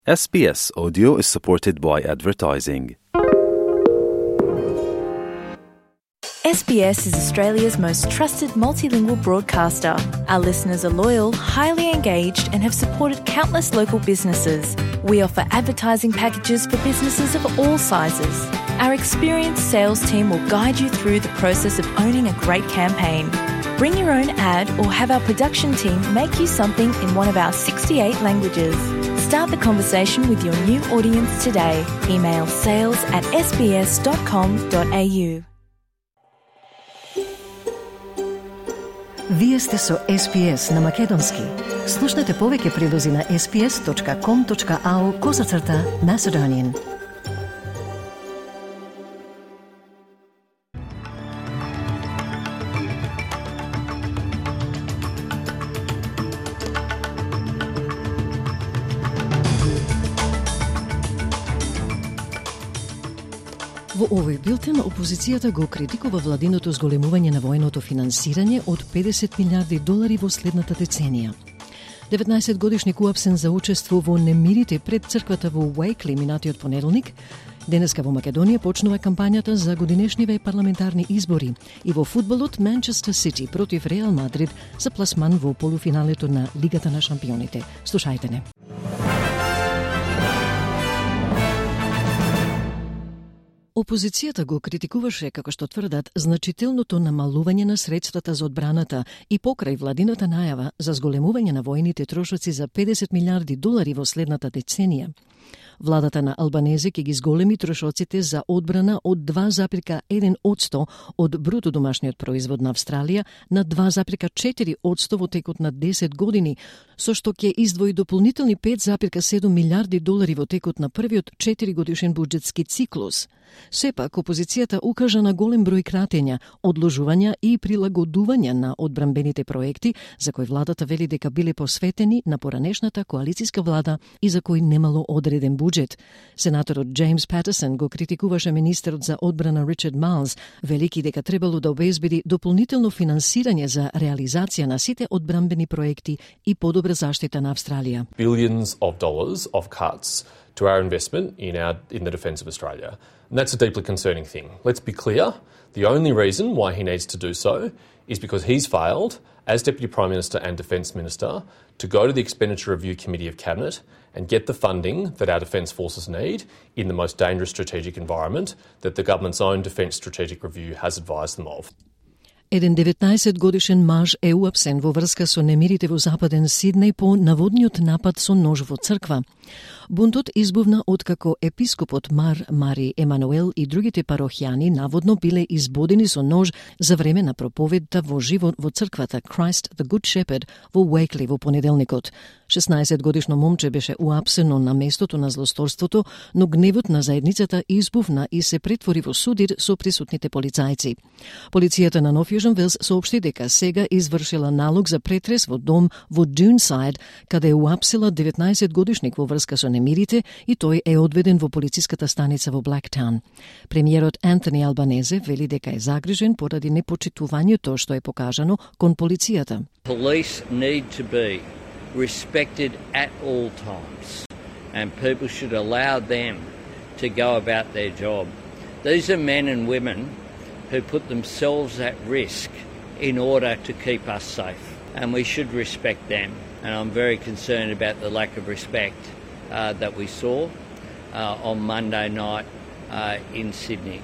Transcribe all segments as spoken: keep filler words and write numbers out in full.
S B S Audio is supported by advertising. S B S is Australia's most trusted multilingual broadcaster. Our listeners are loyal, highly engaged, and have supported countless local businesses. We offer advertising packages for businesses of all sizes. Our experienced sales team will guide you through the process of owning a great campaign. Bring your own ad or have our production team make you something in one of our sixty-eight languages. Start the conversation with your new audience today. Email sales at s b s dot com dot a u. Вие сте со С Б С на Македонски. Слушнете повеќе прилози на s b s dot com dot a u козацрта Macedonian. Во овој билтен, опозицијата го критикува владиното зголемување на военото финансирање од педесет милиарди долари во следната деценија. деветнаесет годишник уапсен за учество во немирите пред црквата во Уајкли минатиот понеделник. Денеска во Македонија почнува кампањата за годинешниве парламентарни избори и во фудбалот Манчестер Сити против Реал Мадрид за пласман во полуфиналето на Лигата на шампионите. Слушајте не. Опозицијата го критикуваше, како што тврдат, значителното намалување на средствата за одбраната и покрај владината најава за зголемување на војните трошоци за педесет милиарди долари во следната деценија. Владата на Албанезе ќе ги зголеми трошоците за одбрана од два запирка еден одсто од бруто домашниот производ на Австралија на два запирка четири одсто во текот на десет години, со што ќе издвои дополнителни пет запирка седум милиарди долари во текот на првиот четири годишен буџетски циклус. Сепак, опозицијата укажа на голем број кратења, одложувања и прилагодувања на одбранбените проекти, за кои владата вели дека биле посветени на поранешната коалициска влада и за кои немало одреден буџет. Сенаторот Джеймс Патерсон го критикуваше министерот за одбрана Ричард Майлс, велики дека требало да обезбеди дополнително финансирање за реализација на сите одбранбени проекти и подобра заштита на Австралија. Billions of dollars of cuts to our investment in our in the defence of Australia. And that's a deeply concerning thing. Let's be clear, the only reason why he needs to do so is because he's failed, as Deputy Prime Minister and Defence Minister, to go to the Expenditure Review Committee of Cabinet and get the funding that our defence forces need in the most dangerous strategic environment that the government's own Defence Strategic Review has advised them of. Еден деветнаесет годишен маж е уапсен во врска со немирите во западен Сиднеј по наводниот напад со нож во црква. Бунтот избувна откако епископот Мар Мари Емануел и другите парохијани наводно биле избодени со нож за време на проповедта во живо во црквата Christ the Good Shepherd во Уајкли во понеделникот. шеснаесет годишно момче беше уапсено на местото на злосторството, но гневот на заедницата избувна и се претвори во судир со присутните полицајци. Полицијата на Нов Јужен Велс соопшти дека сега извршила налог за претрес во дом во Дюнсайд, каде е уапсила деветнаесет годишник во врска со немирите и тој е одведен во полициската станица во Блактаун. Премиерот Антони Албанезе вели дека е загрижен поради непочитувањето што е покажано кон полицијата. Police need to be respected at all times and people should allow them to go about their job. These are men and women who put themselves at risk in order to keep us safe and we should respect them. And I'm very concerned about the lack of respect uh, that we saw uh, on Monday night uh, in Sydney.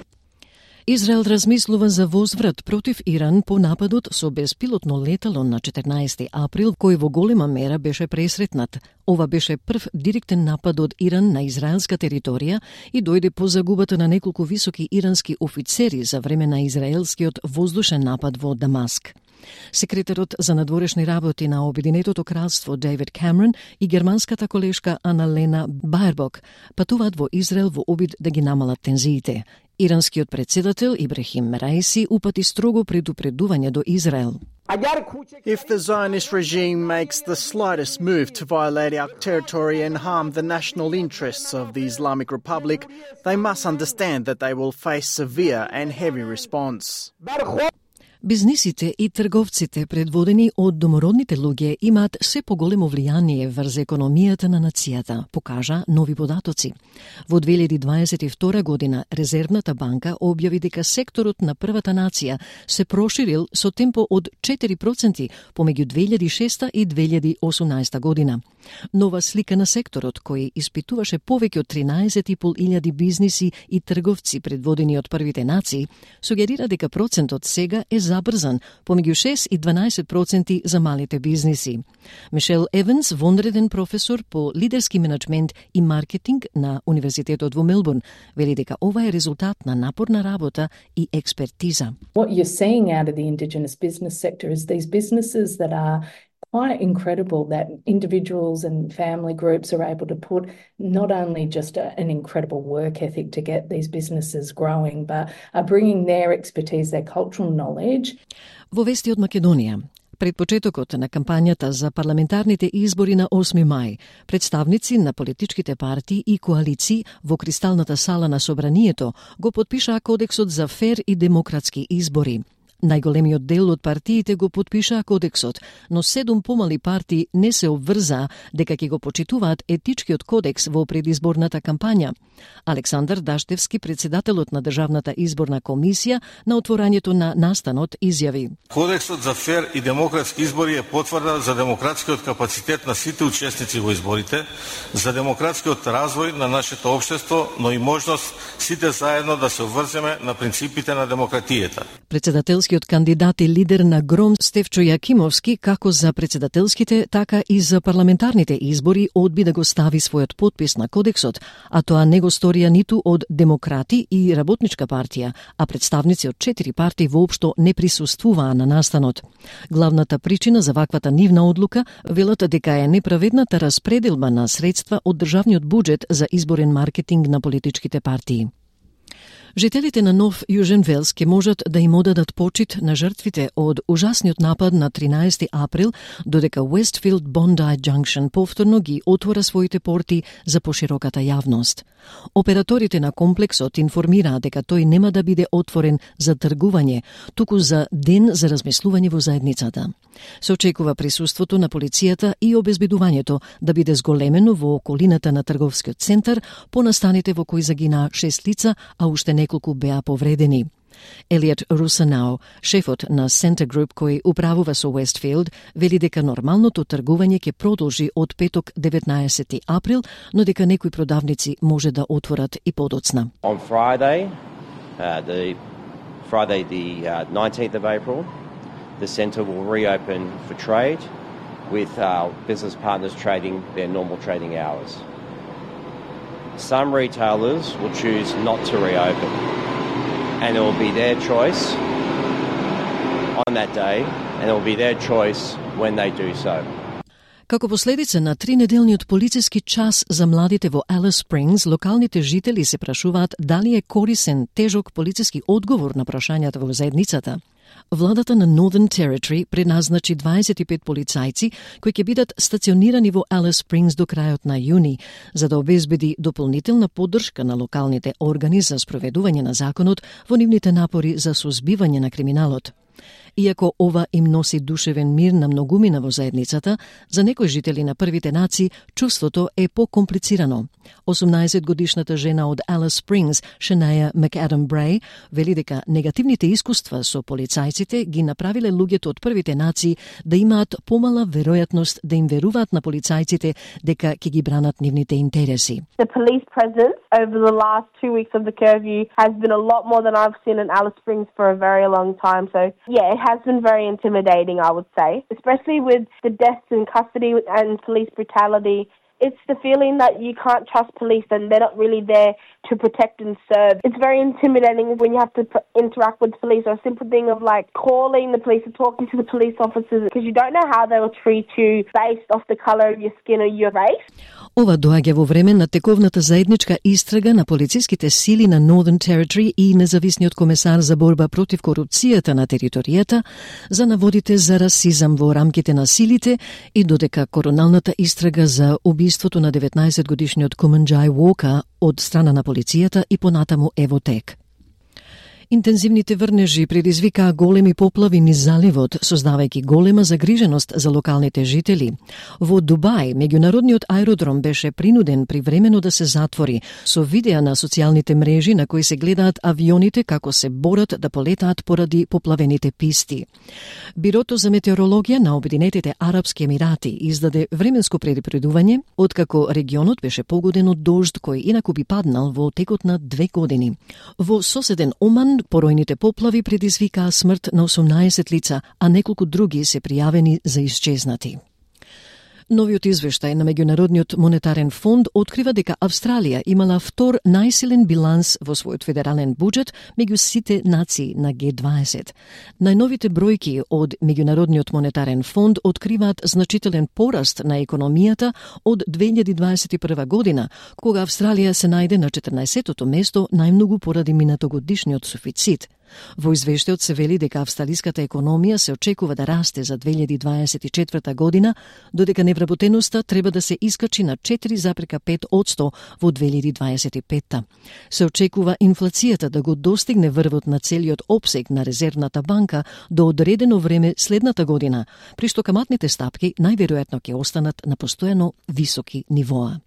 Израел размислува за возврат против Иран по нападот со беспилотно летало на четрнаесети април, кој во голема мера беше пресретнат. Ова беше прв директен напад од Иран на израелска територија и дојде по загубата на неколку високи ирански офицери за време на израелскиот воздушен напад во Дамаск. Секретарот за надворешни работи на Обединетото кралство Дейвид Камерон и германската колешка Аналена Баербок патуваат во Израел во обид да ги намалат тензиите. Иранскиот председател Ибрахим Раиси упати строго предупредување до Израел. If the Zionist regime makes the slightest move to violate our territory and harm the national interests of the Islamic Republic, they must understand that they will face severe and heavy response. Бизнисите и трговците, предводени од домородните луѓе, имаат се поголемо влијание врз економијата на нацијата, покажа нови податоци. Во две илјади дваесет и втора година Резервната банка објави дека секторот на првата нација се проширил со темпо од четири проценти помеѓу две илјади и шеста и две илјади и осумнаесета година. Нова слика на секторот, кој испитуваше повеќе од тринаесет и пол илјади бизниси и трговци предводени од првите нации, сугерира дека процентот сега е забрзан, помеѓу шест и дванаесет проценти за малите бизниси. Мишел Еванс, вонреден професор по лидерски менеджмент и маркетинг на Универзитетот во Мелбурн, вели дека ова е резултат на напорна работа и експертиза. What you're seeing out of the Indigenous business sector is these businesses that are quite incredible, that individuals and family groups are able to put not only just a, an incredible work ethic to get these businesses growing, but are bringing their expertise, their cultural knowledge. Во вести од Македонија, пред почетокот на кампањата за парламентарните избори на осми мај, представници на политичките партии и коалиции во Кристалната сала на Собранието го потпишаа Кодексот за фер и демократски избори. Најголемиот дел од партиите го потпишаа кодексот, но седум помали партии не се обврзаа дека ќе го почитуваат етичкиот кодекс во предизборната кампања. Александар Даштевски, председателот на Државната изборна комисија, на отворањето на настанот изјави: Кодексот за фер и демократски избори е потврда за демократскиот капацитет на сите учесници во изборите, за демократскиот развој на нашето општество, но и можност сите заедно да се обврземе на принципите на демократијата. Председателскиот кандидат и лидер на ГРОМ Стефчо Јакимовски, како за председателските, така и за парламентарните избори, одби да го стави својот подпис на кодексот, а тоа не го сторија ниту од Демократи и Работничка партија, а представници од четири партии воопшто не присуствуваа на настанот. Главната причина за ваквата нивна одлука велат дека е неправедната распределба на средства од државниот буџет за изборен маркетинг на политичките партии. Жителите на Нов Јужен Велс ќе можат да им одадат почит на жртвите од ужасниот напад на тринаесети април, додека Westfield Bondi Junction повторно ги отвора своите порти за пошироката јавност. Операторите на комплексот информираа дека тој нема да биде отворен за тргување, туку за ден за размислување во заедницата. Се очекува присуството на полицијата и обезбедувањето да биде зголемено во околината на трговскиот центар по настаните во кои загинаа шест лица, а уште неколку беа повредени. Елиот Русанао, шефот на Center Group кој управува со Westfield, вели дека нормалното тргување ќе продолжи од петок деветнаесети април, но дека некои продавници може да отворат и подоцна. On Friday, uh, the Friday the uh, nineteenth of April, the centre will reopen for trade with our business partners trading their normal trading hours. Some retailers will choose not to reopen, and it will be their choice on that day, and it will be their choice when they do so. Како последица на тринеделниот полициски час за младите во Алис Спрингс, локалните жители се прашуваат дали е корисен тежок полициски одговор на прашањата во заедницата. Владата на Northern Territory предназначи дваесет и пет полицајци кои ќе бидат стационирани во Алис Спрингс до крајот на јуни, за да обезбеди дополнителна поддршка на локалните органи за спроведување на законот во нивните напори за сузбивање на криминалот. Иако ова им носи душевен мир на многумина во заедницата, за некои жители на првите нации чувството е покомплицирано. осумнаесет годишната жена од Алис Спрингс, Шанаја Макадам Брей, вели дека негативните искуства со полицајците ги направиле луѓето од првите нации да имаат помала веројатност да им веруваат на полицајците дека ќе ги бранат нивните интереси. The police presence over the last two weeks of the curfew has been a lot more than I've seen in Alice Springs for a very long time. So, yeah, it has been very intimidating, I would say, especially with the deaths in custody and police brutality. It's the feeling that you can't trust police and they're not really there to protect and serve. It's very intimidating when you have to p- interact with police, or a simple thing of like calling the police or talking to the police officers, because you don't know how they will treat you based off the colour of your skin or your race. Ова доаѓа во време на тековната заедничка истрага на полициските сили на Northern Territory и независниот комесар за борба против корупцијата на територијата за наводите за расизам во рамките на силите и додека короналната истрага за убиството на деветнаесет годишниот Куманџај Уока од страна на полицијата и понатаму е во тек. Интензивните врнежи предизвикаа големи поплави низ заливот, создавајќи голема загриженост за локалните жители. Во Дубај, меѓународниот аеродром беше принуден привремено да се затвори, со видеа на социјалните мрежи на кои се гледаат авионите како се борат да полетаат поради поплавените писти. Бирото за метеорологија на Обединетите Арапски Емирати издаде временско предупредување, откако регионот беше погоден од дожд кој инаку би паднал во текот на две години. Во соседен Оман, поројните поплави предизвикаа смрт на осумнаесет лица, а неколку други се пријавени за исчезнати. Новиот извештај на Меѓународниот монетарен фонд открива дека Австралија имала втор најсилен биланс во својот федерален буџет меѓу сите нации на Г дваесет. Најновите бројки од Меѓународниот монетарен фонд откриваат значителен пораст на економијата од две илјади дваесет и прва година, кога Австралија се најде на четрнаесеттото место најмногу поради минатогодишниот суфицит. Во извештајот се вели дека австралиската економија се очекува да расте за две илјади дваесет и четврта година, додека невработеноста треба да се искачи на четири зарез пет одсто во две илјади дваесет и петта. Се очекува инфлацијата да го достигне врвот на целиот опсег на Резервната банка до одредено време следната година, при што каматните стапки најверојатно ќе останат на постојано високи нивоа.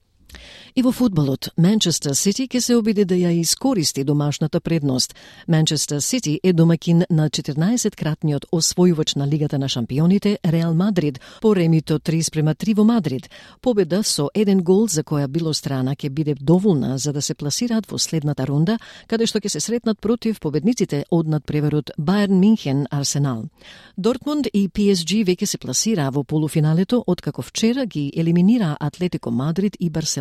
И во фудбалот, Манчестер Сити ќе се обиде да ја искористи домашната предност. Манчестер Сити е домакин на четрнаесеткратниот освојувач на Лигата на шампионите Реал Мадрид по ремито три спрема три во Мадрид. Победа со еден гол за која било страна ќе биде доволна за да се пласираат во следната рунда, каде што ќе се сретнат против победниците од надпреварот Бајерн Минхен Арсенал. Дортмунд и Пи Ес Джи веќе се пласираа во полуфиналето, откако вчера ги елиминираа Атлетико Мадрид и Барселона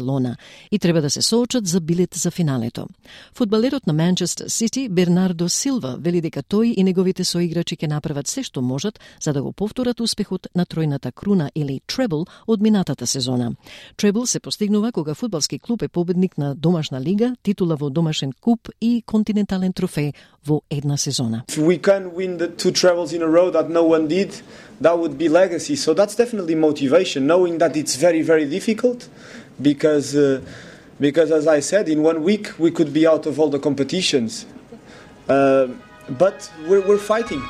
и треба да се соочат за билет за финалето. Фудбалерот на Манчестер Сити Бернардо Силва вели дека тој и неговите соиграчи ќе направат се што можат за да го повторат успехот на тројната круна или требл од минатата сезона. Требл се постигнува кога фудбалски клуб е победник на домашна лига, титула во домашен куп и континентален трофеј во една сезона. If we can win the two trebles in a row that no one did, that would be legacy. So that's definitely motivation, knowing that it's very, very difficult. Because, uh, because as I said, in one week we could be out of all the competitions. Uh, but we're, we're fighting.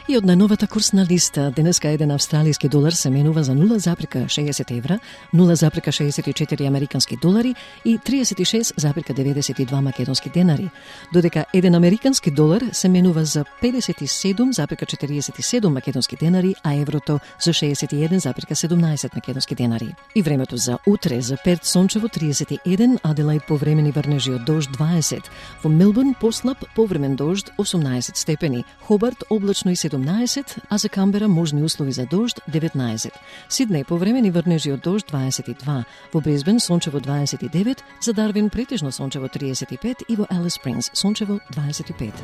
И од најновата курсна листа, денеска еден австралиски долар се менува за нула зарез шеесет евра, нула зарез шеесет и четири американски долари и триесет и шест зарез деветдесет и два македонски денари, додека еден американски долар се менува за педесет и седум зарез четириесет и седум македонски денари, а еврото за шеесет и еден зарез седумнаесет македонски денари. И времето за утре: за Перт сончево триесет и еден, Аделаид повремени врнежи од дожд дваесет, во Мелбурн послаб повремен дожд осумнаесет степени, Хобарт облачно и седумнаесет, а за Камбера можни услови за дожд деветнаесет. Сиднеј повремени врнежи од дожд дваесет и два, во Брисбен сончево дваесет и девет, за Дарвин претежно сончево триесет и пет и во Алис Спрингс сончево дваесет и пет.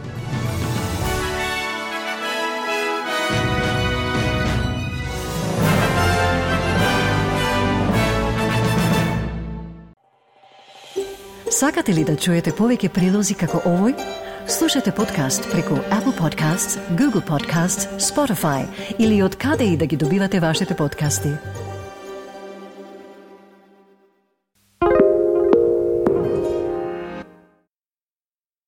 Сакате ли да чуете повеќе прилози како овој? Слушате подкаст преку Apple Podcasts, Google Podcasts, Spotify или од каде и да ги добивате вашите подкасти.